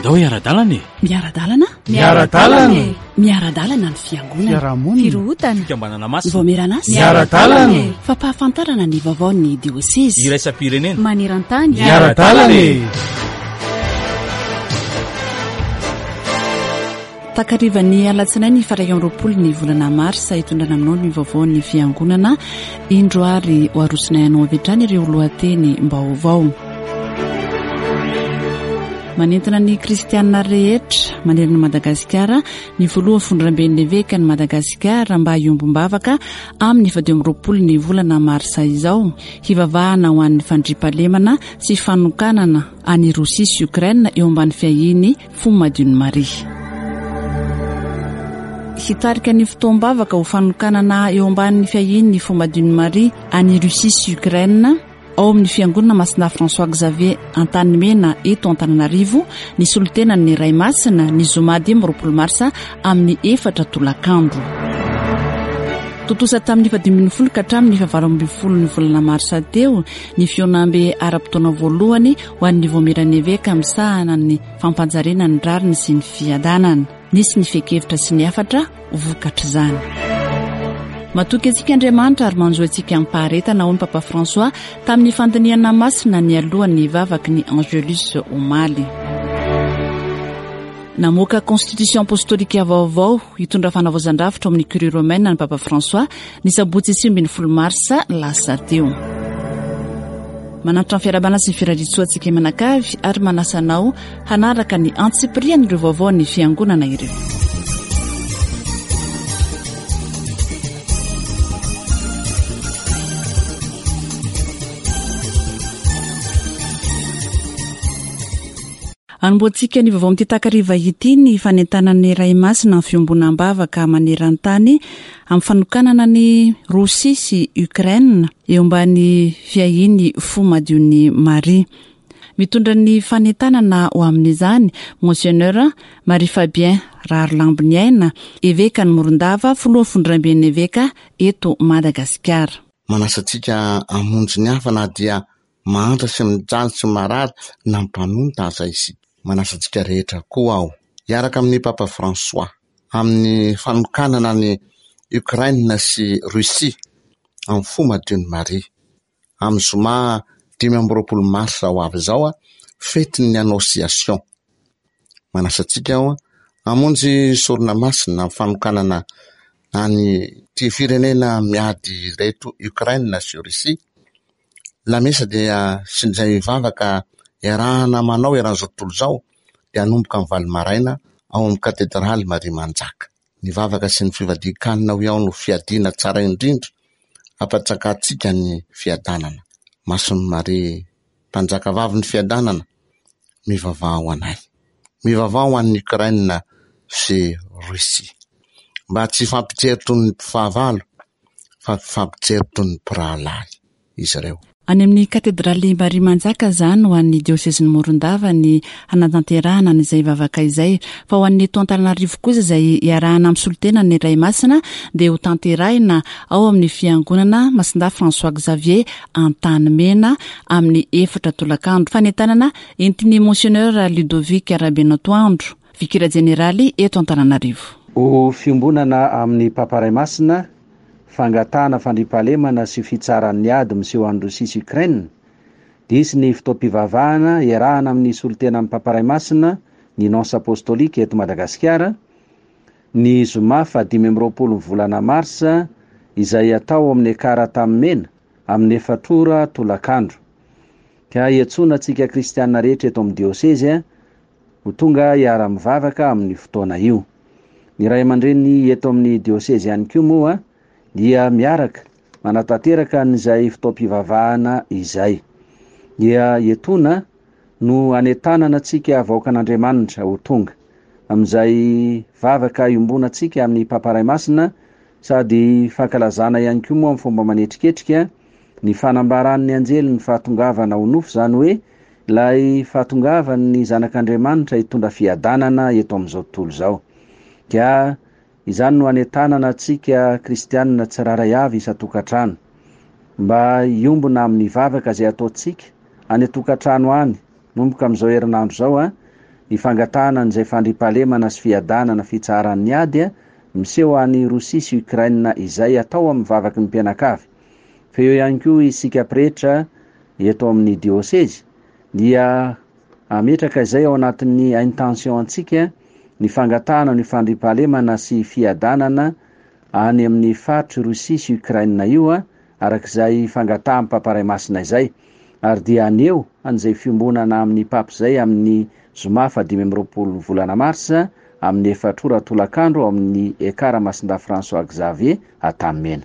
Andao hiara-dalana e! Miara-dalana? Miara-dalana e! Miara-dalana ny fiangonana. Fiarahamonina. Firohotana. Fikambanana masina. Vaomieran'asa. Miara-dalana e! Fampahafantarana ny vaovaon'ny diosezy. Iraisam-pirenena. Maneran-tany. Miara-dalana e! Takarivan'ny alatsinainy faha 21 ny volana marsa hitondrana aminao ny vaovaon'ny fiangonana. Indro ary ho arosonay anao avy hatrany ireo lohateny-baovao. Manentana ny kristianina rehetra manerana an'i Madagasikara ny filoha fondramben'ny evekan'i Madagasikara mba hiombom-bavaka amin'ny faha 25 ny volana marsa izao hivavahana ho an'ny fandriampahalemana sy fanokanana an'i Rosia sy Ukraine eo ambany fiahian'ny Fo Madion'i Maria. Hitarika ny fotoam-bavaka ho fanokanana eo ambanin'ny fiahian'ny Fo Madion'i Maria any Russie sy Ukraine ao amin'ny Fiangonana Masina François Xavier Antanimena eto Antananarivo ny solontenan'ny Ray Masina ny zoma 25 marsa amin'ny efatra tolakandro. Tontosa tamin'ny faha-15 ka hatramin'ny faha-18 ny volana marsa teo ny fihaonambe ara-potoana voalohany ho an'ny Vaomieran'ny Eveka misahana ny fampanjariana ny rariny sy ny fiadanana. Nisy ny fehin-kevitra sy ny hafatra vokatr'izany. Matoky antsika Andriamanitra ary manjo antsika amim-paharetana, hoy ny Papa François tamin'ny fandinihana masina nialoha ny vavaky ny Angelus omaly. Namoaka Constitution apostolika vaovao hitondra fanavaozan-drafitra ao amin'ny Curie romaine ny Papa François ny sabotsy 19 marsa lasa teo. Manantitra ny fiarahabana sy ny firariantsoa antsika mianakavy ary manasa anao hanaraka ny antsipirian'ireo vaovaon'ny Fiangonana ireo. Anombohantsika ny vaovao amin'ity takariva ity ny fanentanan'ny Ray Masina amin'ny fiombonam-bavaka maneran-tany amin'ny fanokanana an'i Rosia sy Ukraine eo ambany fiahian'ny Fo Madion'i Maria. Mitondra ny fanentanana ho amin'izany Monseigneur Marie Fabien Raharilamboniaina, Evekan'i Morondava, Filoha Fondramben'ny Eveka eto Madagasikara. Manasa antsika hamonjy ny hafa na dia Mahantra sy mijaly sy marary na mpanonta aza isika. Manasa antsika rehetra koa aho hiaraka amin'i Papa François amin'ny fanokanana an'i Ukraine sy Russie amin'ny fo madion'i Maria, amin'ny zoma 25 marsa ho avy izao, fetin'ny Annonciation. Manasa antsika aho hamonjy sorona masina amin'ny fanokanana an'ity firenena miady ireto Ukraine sy Russie. Lamesa dia sy izay vavaka iarahana manao eran'izao tontolo izao dia hanomboka amin'ny valo maraina ao amin'ny katedraly Maria Manjaka. Ny vavaka sy ny fivadian-kanina hoy aho no fiadiana tsara indrindra hampanjakantsika ny fiadanana. Masin'i Maria Mpanjakavavin'ny fiadanana, mivavaha ho anay. Mivavaha ho an'i Ukraine sy Russie. Mba tsy hifampijery toy ny mpifahavalo fa mifampijery toy ny mpirahalahy izy ireo. Any amin'ny Katedraly Maria Manjaka izany ho an'ny diosezin'i Morondava ny hanatanterahana an'izay vavaka izay. Fa ho an'ny eto Antananarivo kosa izay iarahana amin'ny solontenan'ny Ray Masina dia hotanterahina ao amin'ny Fiangonana Masindahy François Xavier Antanimena amin'ny efatra tolakandro. Fanentanana entin'ny Monseigneur Ludovic Rabenatoandro. Vikera Jeneraly eto Antananarivo. Ho fiombonana amin'ny Papa Ray Masina, fangatahana fandriampahalemana sy fitsaran'ny ady miseho any Rosia sy Ukraine, dia hisy ny fotoam-pivavahana iarahana amin'ny solontenan'ny Papa Ray Masina, ny Nonce Apostolique eto Madagasikara, ny zoma faha 25 ny volana marsa, izay hatao ao amin'ny Ekar Antanimena, amin'ny efatra ora tolakandro. Ka iantsoana antsika kristiana rehetra eto amin'ny diosezy, Ho tonga hiara-mivavaka amin'io fotoana io. Ny ray aman-dreny eto amin'ny diosezy ihany koa moa dia miaraka manatanteraka an'izay fotoam-pivavahana izay. Dia etoana no anentanana antsika vahoakan'Andriamanitra ho tonga amin'izay vavaka iombonantsika amin'ny Papa Ray Masina sady fankalazana ihany koa moa amin'ny fomba manetriketrika ny fanambaran'ny anjely ny fahatongavana ho nofo izany hoe Ilay fahatongavan'ny Zanak'Andriamanitra hitondra fiadanana eto amin'izao tontolo izao. Ka izany no anentanana antsika kristianina tsirairay avy isan-tokantrano, mba hiombona amin'ny vavaka izay ataontsika any an-tokantrano any, manomboka amin'izao herinandro izao, an! ny fangatahana an'izay fandriampahalemana sy fiadanana fitsaharan'ny ady miseho any Rosia sy Ukraine izay atao amin'ny vavaky ny mpianakavy. Fa eo ihany koa isika pretra eto amin'ny diosezy dia hametraka izay ao anatin'ny intention antsika ny fangatahana ny fandriampahalemana sy fiadanana any amin'ny faritr'i Rosia sy Ukraine io araka izay fangatahan'ny Papa Ray Masina izay ary dia haneho an'izay fiombonana amin'ny Papa izay amin'ny zoma faha 25 volana marsa amin'ny efatr'ora tolakandro ao amin'ny Ekara Masindahy François Xavier Antanimena.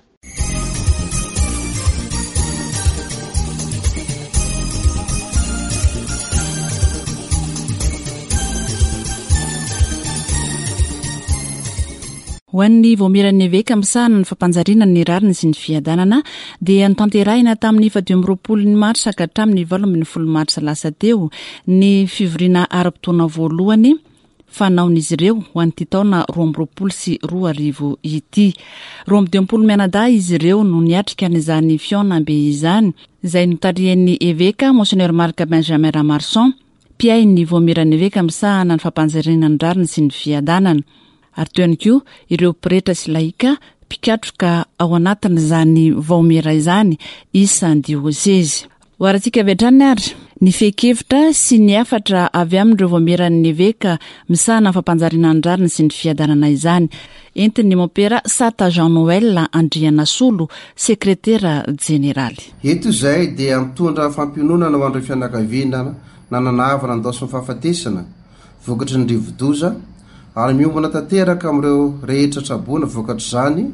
Ho an'ny Vaomieran'ny Eveka misahana ny fampanjariana ny rariny sy ny fiadanana dia notanterahina tamin'ny 25 ny marsa ka hatramin'ny 18 marsa lasa teo ny fivoriana ara-potoana voalohany fanaon'izy ireo ho an'ity taona 2022 ity. 52 mianadahy izy ireo no niatrika an'izany fihaonambe izany, izay notarihan'ny Eveka Monseigneur Marc Benjamin Ramarson, mpiahy ny Vaomieran'ny Eveka misahana ny fampanjariana ny rariny sy ny fiadanana. Ary teo ihany koa ireo pretra sy laika mpikatroka ao anatin'izany vaomiera izany isan-diosezy. Hoarantsika avy hatrany ary ny fehin-kevitra sy ny hafatra avy amin'ireo vaomieran'ny eveka misahana ny fampanjariana ny rariny sy ny fiadanana izany, entin'ny mompera Sata Jean Noël Andrianasolo, sekretera jeneraly. Eto izahay dia mitondra fampiononana ho an'ireo fianakaviana nanana havana nandaosin'ny fahafatesana vokatry ny rivodoza ary miombona tanteraka amin'ireo rehetra traboina vokatr'izany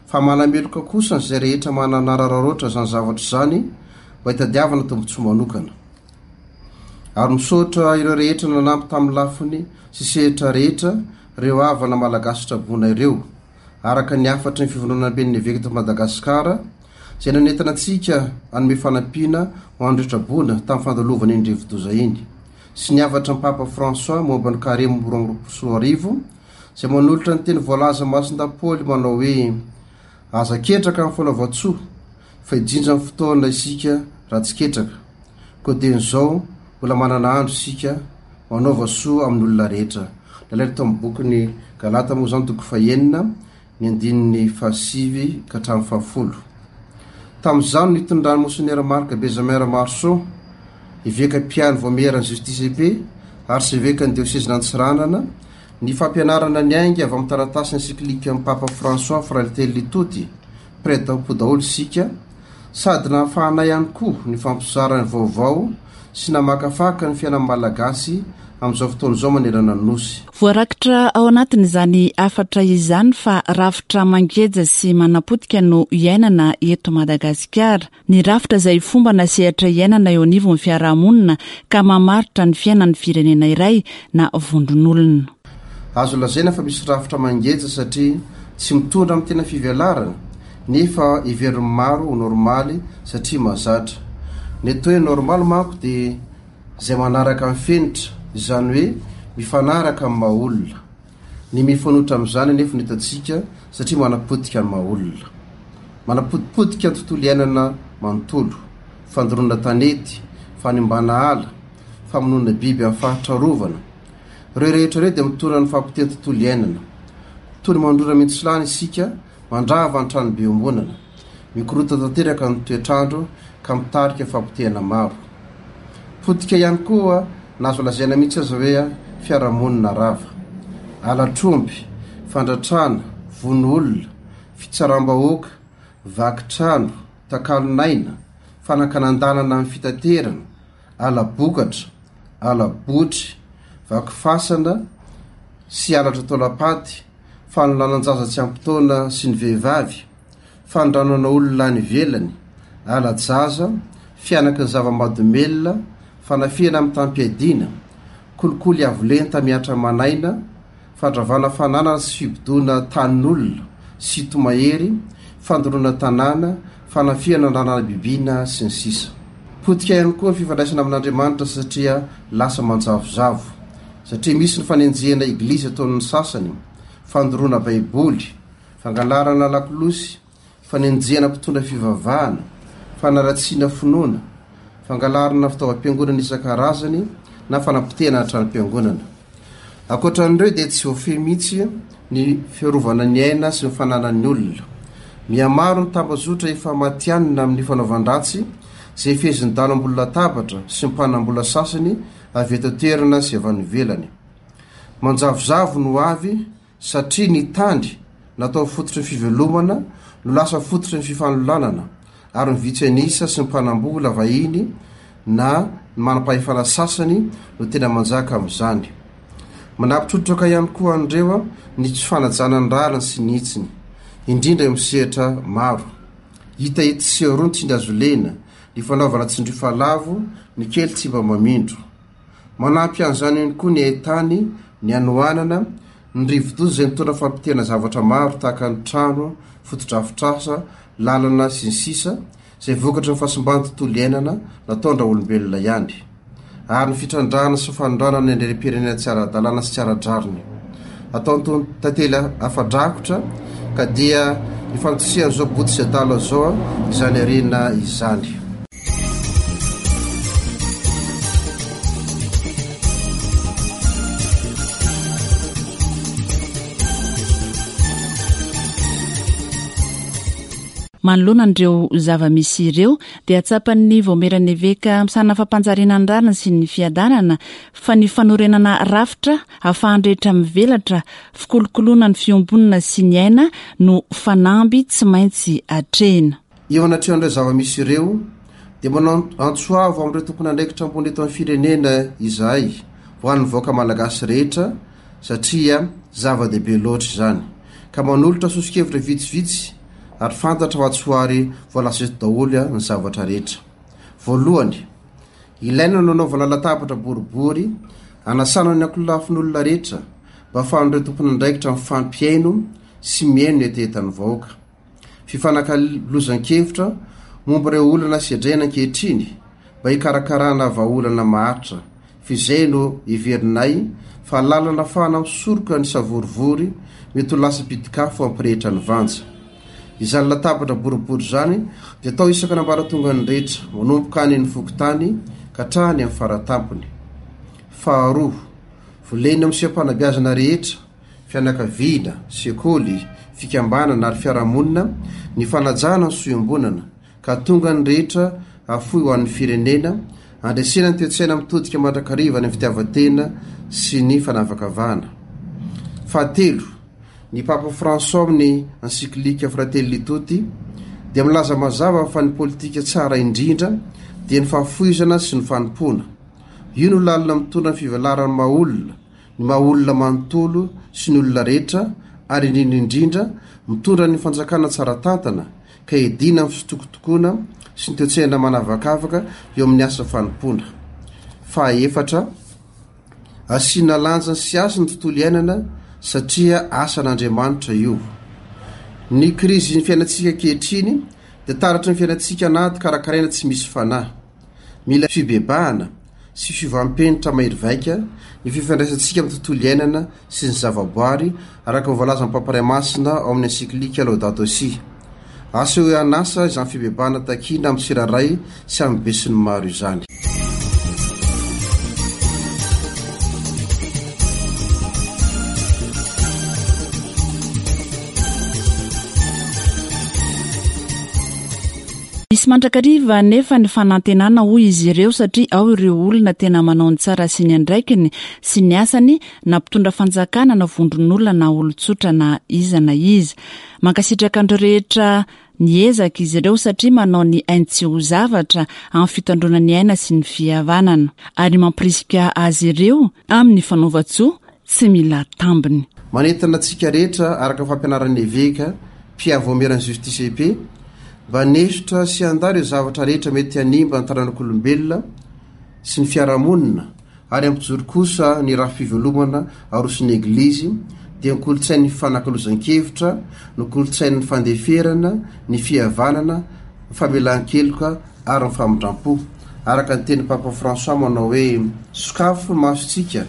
fa manameloka kosa izay rehetra mananararaotra izany zavatra izany mba hitadiavana tombontsoa manokana. Ary misaotra ireo rehetra nanampy tamin'ny lafiny sy sehatra rehetra ireo havana malagasy traboina ireo, araka ny hafatry ny Fivondronamben'ny Eveka eto Madagasikara izay nanentana antsika hanome fanampiana ho an'ireo traboina tamin'ny fandalovana iny rivodoza iny, sy ny hafatry ny Papa François momba ny Karemy 2022 izay manolotra ny teny voalaza Masindahy Paoly manao hoe, Aza ketraka amin'ny fanaovan-tsoa, fa hijinja ny fotoana isika raha tsy ketraka. Koa dieny izao, mbola manana andro isika, manaova soa amin'ny olona rehetra. Nalaina tao amin'ny bokin'ny Galata moa izany toko fahenina, ny andininy fahasivy ka hatramin'ny fahafolo. Tamin'izany no nitondran'i Monsenera Marc Benjamin Ramarson, eveka mpiahy ny Vaomieran'ny Justice et Paix, arsevekan'ny diosezin'Antsiranana, ny fampianarana niainga avy amin'ny taratasy ensiklikan'ny Papa François Fratelli Tutti, Mpiray tampo daholo isika, sady nahafahanay ihany koa nifampizara ny vaovao sy namakafaka ny fiainan'ny Malagasy amin'izao fotoana izao manerana ny Nosy. Voarakitra ao anatin'izany hafatra izany fa rafitra mangeja sy manapotika no iainana eto Madagasikara. Ny rafitra izay fomba na sehatra iainana eo anivon'ny fiarahamonina ka mamaritra ny fiainan'ny firenena iray na vondron'olona. Azo lazaina fa misy rafitra mangeja satria tsy mitondra amin'ny tena fivelarana nefa heverin'ny maro ho normaly satria mahazatra. Ny atao hoe normaly manko dia izay manaraka ny fenitra, izany hoe mifanaraka amin'ny maha olona. Ny mifanohitra amin'izany anefa no hitantsika satria manapotika ny maha olona. Manapotipotika ny tontolo iainana manontolo, fandoroana tanety, fanimbana ala, famonoana biby amin'ny faritra arovana. Ireo rehetra ireo dia mitondra ny fahapotehan'ny tontolo iainana. Toy ny mandrora mintsilany isika mandrava ny tranobe iombonana. Mikorontana tanteraka ny toetr'andro ka mitarika fahapotehana maro. Potika ihany koa na azo lazaina mihitsy aza hoe fiarahamonina rava. Halatr'omby, fandratrana, vono olona, fitsaram-bahoaka, vaky trano, takalon'aina, fanakanan-dalana amin'ny fitaterana, ala-bokatra, ala-botry, vaky fasana sy halatra taolam-paty, fanolanan-jaza tsy ampy taona sy ny vehivavy, fanondranana olona any ivelany, ala-jaza, fihanaky ny zava-mahadomelina, fanafihana mitam-piadiana, kolikoly avo lenta mihatra aman'aina, fandravana fananana sy fibodoana tanin'olona, sinto-mahery, fandoroana tanàna, fanafihana andrana-bibiana, sy ny sisa. Potika ihany koa ny fifandraisana amin'Andriamanitra satria lasa manjavozavo, satria misy ny fanenjehana eglizy ataon'ny sasany, fandoroana baiboly, fangalarana lakolosy, fanenjehana mpitondra fivavahana, fanaratsiana finoana, fangalarana fitaovam-piangonana isan-karazany. na fanapotehana tranom-piangonana. Ankoatra an'ireo dia tsy voafehy mihitsy ny fiarovana ny aina sy ny fananan'ny olona. Mihamaro ny tambazotra efa matihanina amin'ny fanaovan-dratsy izay fehezin'ny dahalo ambony latabatra sy ny mpanam-bola sasany avy eto an-toerana sy avy any ivelany. Manjavozavo no avy satria ny tany natao fototry ny fivelomana no lasa fototry ny fifanolanana ary ny vitsy an'isa sy ny mpanambola vahiny na ny manam-pahefana sasany no tena manjaka amin'izany. Manampy trotraka ihany koa an'ireo ny tsy fanajana ny rariny sy ny hitsiny, indrindra eo amin'ny sehatra maro. Hita etsy sy eroa ny tsindry azo lena, ny fanaovana tsindriofalavo, ny kely tsy mba mamindro. Manampy an'izany ihany koa ny haitany, ny hanoanana, ny rivodoza izay nitondra fampitehana zavatra maro tahaka ny trano, fotodrafitrasa, lalana, sy ny sisa izay vokatry ny fahasimban'ny tontolo iainana nataon-draolombelona ihany, ary ny fitrandrahana sy fanondranana ny harem-pirenena tsy ara-dalàna sy tsy ara-drariny ataon'itony tantely afa-drakotra ka dia ifantosehan'izao boto sy adala izao izany harena izany. Manoloana an'ireo zava-misy ireo dia tsapan'ny Vaomieran'ny Eveka misahana fampanjariana ny rariny sy ny fiadanana fa ny fanorenana rafitra ahafahan'ny rehetra mivelatra, fikolokoloana ny fiombonana sy ny aina no fanamby tsy maintsy atrehina. Eo anatrehan'ireo zava-misy ireo dia manao antso avo amin'ireo tompon'andraikitra ambony eto amin'ny firenena izahay ho an'ny vahoaka malagasy rehetra satria zava-dehibe loatra izany ka manolotra soso-kevitra vitsivitsy ary fantatra fa tsy ho ary voalaza eto daholo ny zavatra rehetra. Voalohany, ilaina ny hanaovana latabatra boribory hanasana ny ankolafin'olona rehetra mba hahafahan'ireo tompon'andraikitra mifampihaino sy mihaino ny hetahetan'ny vahoaka. Fifanakalozan-kevitra momba ireo olana sedraina ankehitriny mba hikarakarana vahaolana maharitra F'izay no heverinay fa lalana afahana misoroka ny savorivory mety ho lasa pitik'afo hampirehitra ny vanja. Izany latabatra boribory izany dia atao isaka ny ambaratongany rehetra, manomboka any amin'ny fokontany ka hatrany amin'ny faratampony. Faharoa, volena amin'ny seha-panabeazana rehetra, fianakaviana, sekoly, fikambanana ary fiarahamonina ny fanajana ny soa iombonana, ka tonga ny rehetra hafoy ho an'ny firenena, handresena ny toe-tsaina mitodika mandrakariva any amin'ny fitiavan-tena sy ny fanavakavahana. Fahatelo, ny Papa François amin'ny Encyclique Fratelli Tutti dia milaza mazava fa ny politika tsara indrindra dia ny fahafoizana sy ny fanompoana. Io no lalana mitondra ny fivelaran'ny maha-olona, ny maha-olona manontolo sy ny olona rehetra ary indrindra indrindra mitondra ny fanjakana tsara tantana ka hiadiana amin'ny fitokotokoana sy ny toe-tsaina manavakavaka eo amin'ny asa fanompoana. Fahaefatra, asiana lanjany sy hasiny ny tontolo iainana satria asan'Andriamanitra io. Ny krizin'ny fiainantsika ankehitriny dia taratry ny fiainantsika anaty karakaraina tsy misy fanahy. Mila fibebahana sy fiovam-penitra mahery vaika ny fifandraisantsika amin'ny tontolo iainana sy ny zavaboary, araka ny voalazan'ny Papa Ray Masina ao amin'ny Encyclique Laudato Si. Asehoy an'asa izany fibebahana takiana amin'ny tsirairay sy amin'ny besinimaro izany. Misy mandrakariva anefa ny fanantenana hoy izy ireo satria ao ireo olona tena manao ny tsara sy ny andraikiny sy ny asany na mpitondra fanjakana na vondron'olona na olon-tsotra na iza na iza. Mankasitraka an'ireo rehetra niezaka izy ireo satria manao ny ainy tsy ho zavatra amin'ny fitandroana ny aina sy ny fihavanana ary mampirisika azy ireo amin'ny fanaovan-tsoa tsy mila tambiny. Manentana antsika rehetra araka ny fampianaran'ny Eveka mpiavy vaomieran'ny Justice et Paix mba hanesotra sy handà ireo zavatra rehetra mety hanimba ny taranak'olombelona sy ny fiarahamonina ary hampijoro kosa ny rafi-pivelomana aroson'ny Eglizy dia ny kolontsain'ny fifanakalozan-kevitra, ny kolontsain'ny fandeferana, ny fihavanana, ny famelan-keloka ary ny famindram-po. Araka ny tenin'i Papa François manao hoe, Sokafo ny masontsika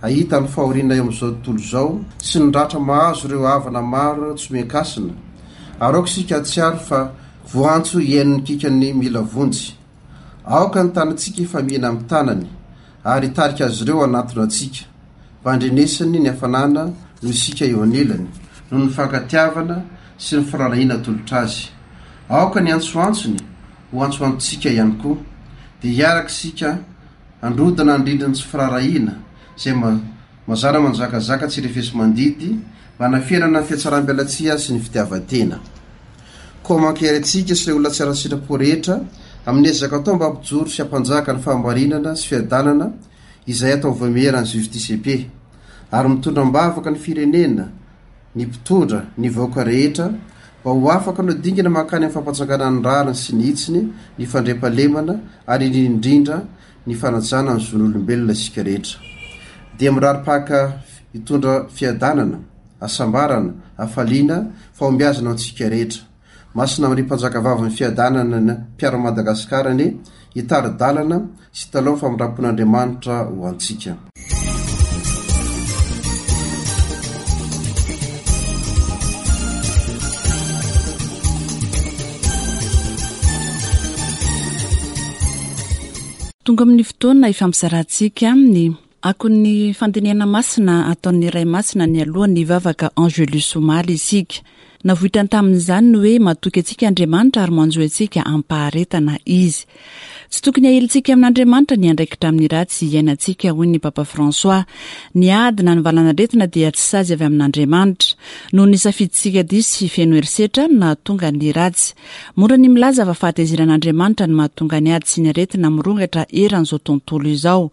hahita ny fahoriana eo amin'izao tontolo izao sy ny ratra mahazo ireo havana maro tsy omen-kasina, ary aoka isika hahatsiaro fa voantso hihaino ny kikan'ny mila vonjy. Aoka ny tanantsika hifamihina amin'ny tanany. ary hitarika azy ireo hanatona antsika, mba handrenesany ny hafanana noho isika eo anilany, noho ny fankatiavana sy ny firaharahiana atolotra azy. Aoka ny antsoantsony ho antsoantsika ihany koa, dia hiaraka isika handrodana ny rindrin'ny tsy firaharahiana izay mazàna manjakazaka tsy refesi-mandidy mba hanafenana ny fihatsaram-belatsihy sy ny fitiavan-tena. Koa mankahery antsika sy ireo olona tsara sitrapo rehetra amin'ny ezaka atao mba hampijoro sy hampanjaka ny fahamarinana sy fiadanana izay atao vaomieran'ny Justice et Paix ary mitondra am-bavaka ny firenena, ny mpitondra, ny vahoaka rehetra mba ho afaka hanao dingana mankany amin'ny fampanjakana ny rariny sy ny hitsiny, ny fandriampahalemana ary indrindra indrindra ny fanajana ny zon'olombelona isika rehetra. Dia mirary Paka hitondra fiadanana, hasambarana, hafaliana, fahombiazana ho antsika rehetra. Masina Maria Mpanjakavavin'ny Fiadanana ny mpiaro an'i Madagasikara anie hitari-dalana sy hitalaho ny famindram-pon'Andriamanitra ho antsika. Tonga amin'ny fotoana ifampizarantsika ny akon'ny fandinihana masina ataon'ny Ray Masina nialoha ny vavaka Angelus omaly isika. Navoitrany tamin'izany ny hoe matoky antsika Andriamanitra ary manjohy antsika amim-paharetana Izy. Tsy tokony hahilintsika amin'Andriamanitra ny andraikitra amin'ny ratsy iainantsika, hoy ny Papa François. Ny ady na ny valan'aretina dia tsy sazy avy amin'Andriamanitra. Noho ny safidintsika diso sy feno herisetra no nahatonga ny ratsy. Mora ny milaza fa fahatezeran'Andriamanitra no mahatonga ny ady sy ny aretina mirongatra eran'izao tontolo izao.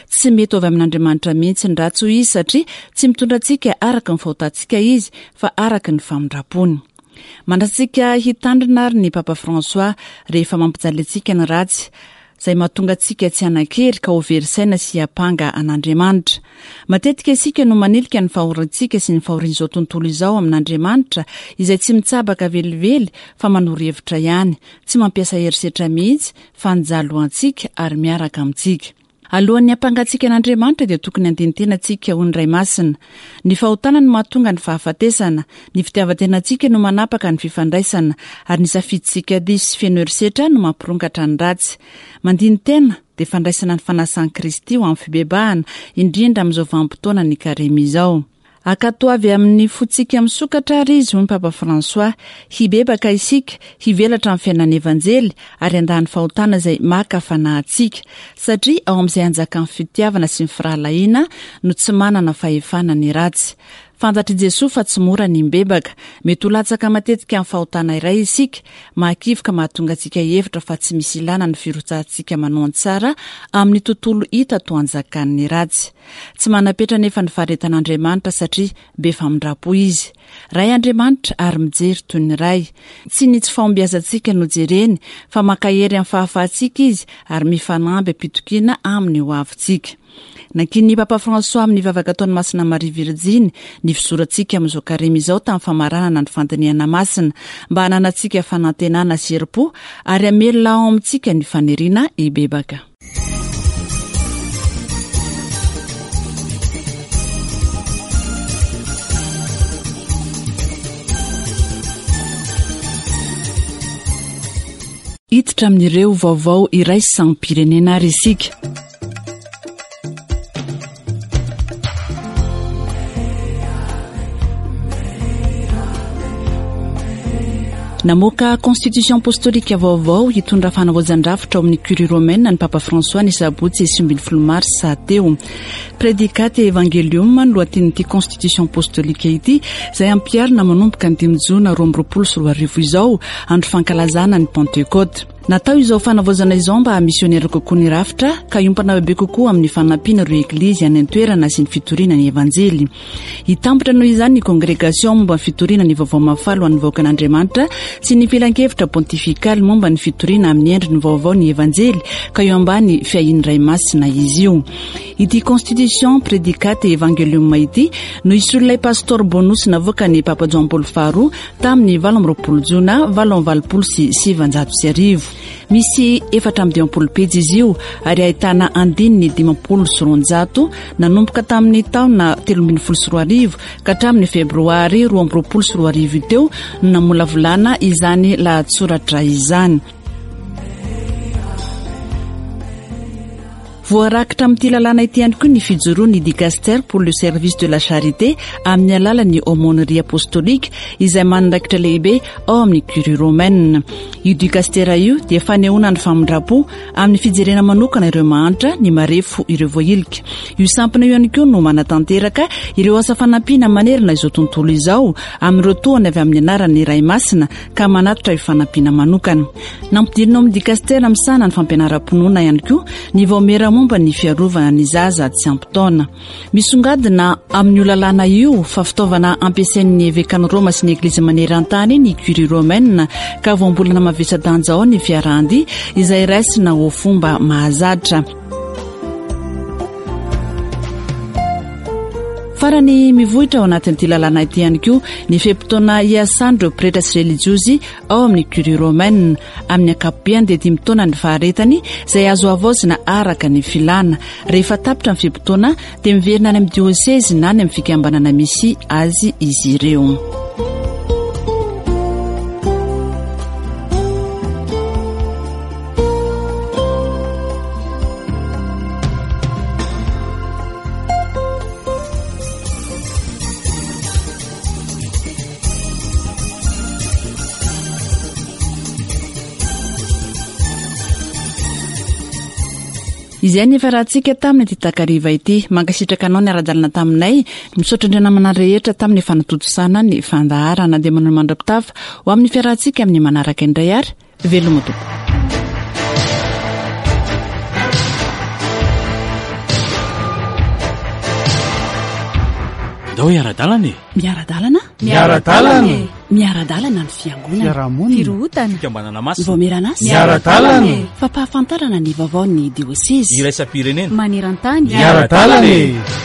Tsy mety ho avy amin'Andriamanitra mihitsy ny ratsy, hoy izy, satria tsy mitondra antsika araka ny fahotantsika izy, fa araka ny famindrampony. Mandratsika hitandrina ary ny Papa François rehefa mampijaly antsika ny ratsy, izay mahatonga antsika tsy hanan-kery ka ho very saina sy hiampanga an'Andriamanitra. Matetika isika no manilika ny fahoriantsika sy ny fahorian'izao tontolo izao amin'Andriamanitra izay tsy mitsabaka velively fa manoro hevitra ihany, tsy mampiasa herisetra mihitsy fa nijaly ho antsika ary miaraka amintsika. Alohan'ny hampangatsiaka an'Andriamanitra dia tokony handini-tena tsika hoy ny Ray Masina. Ny fahotana no mahatonga ny fahafatesana, ny fitiavan-tenantsika no manapaka ny fifandraisana, ary ny safidintsika diso sy feno herisetra no mampirongatra ny ratsy. Mandini-tena dia fandraisana ny fanasan'i Kristy ho amin'ny fibebahana, indrindra amin'izao vanim-potoana ny Karemy izao. Ankatoavy amin'ny fontsika misokatra àry izy, hoy ny Papa François. Hibebaka isika, hivelatra amin'ny fiainan'ny Evanjely, ary handà ny fahotana izay maka fanahy antsika. Satria ao amin'izay anjakan'ny fitiavana sy ny firahalahiana no tsy manana fahefana ny ratsy. Fantatr'i Jesoa fa tsy mora ny mibebaka. Mety ho latsaka matetika amin'ny fahotana iray isika, mahakivy ka mahatonga antsika hihevitra fa tsy misy ilàna ny firotsahantsika manao ny tsara amin'ny tontolo hita toa anjakan'ny ratsy. Tsy manam-petra anefa ny faharetan'Andriamanitra satria be famindram-po Izy. Ray Andriamanitra ary mijery toy ny Ray. Tsy ny tsy fahombiazantsika no jereny fa mankahery amin'ny fahafahantsika Izy ary mifanamby am-pitokiana amin'ny ho avintsika. Nankinin'ny Papa François amin'ny vavaka ataon'i Masina Maria Virjiny ny fizorantsika amin'izao Karemy izao tamin'ny famaranana ny fandinihana masina mba hananantsika fanantenana sy herim-po ary hamelona ao amintsika ny faniriana hibebaka. Hiditra amin'ireo vaovao iraisam-pirenena ary isika. Namoaka constitution apostolika vaovao hitondra fanavaozan-drafitra ao amin'ny Curie romaine ny Papa François ny sabotsy 19 marsa teo. Predicate Evangelium no lohatenin'ity constitution apostolika ity izay ampiharina manomboka ny 5 jona 2022 izao, andro fankalazana ny Pentecôte. Natao izao fanavaozana izao mba hamisionera kokoa ny rafitra ka hiompana bebe kokoa amin'ny fanampiana ireo eglizy any an-toerana sy ny fitoriana ny Evanjely. Hitambatra noho izany ny Kongregasiona momba ny fitoriana ny Vaovao Mahafaly ho an'ny vahoakan'Andriamanitra sy ny Filankevitra Pontifikaly momba ny fitoriana amin'ny endriny vaovao ny Evanjely ka eo ambany fiahian'ny Ray Masina izy io. Ity Constitution Predicate Evangelium ity no hisolo ilay Pastor Bonus navoakan'ny Papa Joan Paoly faharoa tamin'ny 28 jona 1988. Misy 54 pejy izy io ary ahitana andininy 250 nanomboka tamin'ny taona 2013 ka hatramin'ny febroary 2022 teo no namolavolana izany lahatsoratra izany. Voarakitra amin'ity lalàna ity ihany koa ny fijoroan'ny Dicastère pour le service de la charité amin'ny alalan'ny Aumônerie apostolique izay manandraikitra lehibe ao amin'ny Curie romaine. Io dicastère io dia fanehoana ny famindram-po amin'ny fijerena manokana ireo mahantra, ny marefo, ireo voahilika. Io sampona io ihany koa no manatanteraka ireo asa fanampiana manerana izao tontolo izao amin'ireo tohana avy amin'ny anaran'ny Ray Masina ka manatitra io fanampiana manokana. Nampidirina ao amin'ny dikastera misahana ny fampianaram-pinoana ihany koa ny vaomiera momba ny fiarovana ny zaza tsy ampy taona. Misongadina amin'io lalàna io fa fitaovana ampiasain'ny evekan'i Roma sy ny Eglizy maneran-tany ny Curie romaine ka voambolana mavesa-danja ao ny fiarahan-dia izay raisina ho fomba mahazatra. Farany mivohitra ao anatin'ity lalàna ity ihany koa ny fe-potoana hiasan'ireo pretra sy relijiozy ao amin'ny Curie romaine. Amin'ny ankapobeny dia dimy taona ny faharetany izay azo havaozina araka ny filàna. Rehefa tapitra ny fe-potoana dia miverina any amin'ny diosezy na any amin'ny fikambanana misy azy izy ireo. Izay ny efa rahantsika tamin'ity takariva ity. Mankasitraka anao niara-dalana taminay. Misaotra indray namana rehetra tamin'ny fanatontosana ny fandaharana. Dia manao mandra-pitafa ho amin'ny fiarahantsika amin'ny manaraka indray ary veloma tompoko. Ndao hiara-dalana e! Miara-dalana? Miara-dalana e! Miara-dalana ny fiangonana. Fiarahamonina. Firohotana. Fikambanana masina. Ny vaomieran'asa. Miara-dalana e! Fampahafantarana ny vaovaon'ny diosezy. Iraisam-pirenena. Maneran-tany. Miara-dalana e!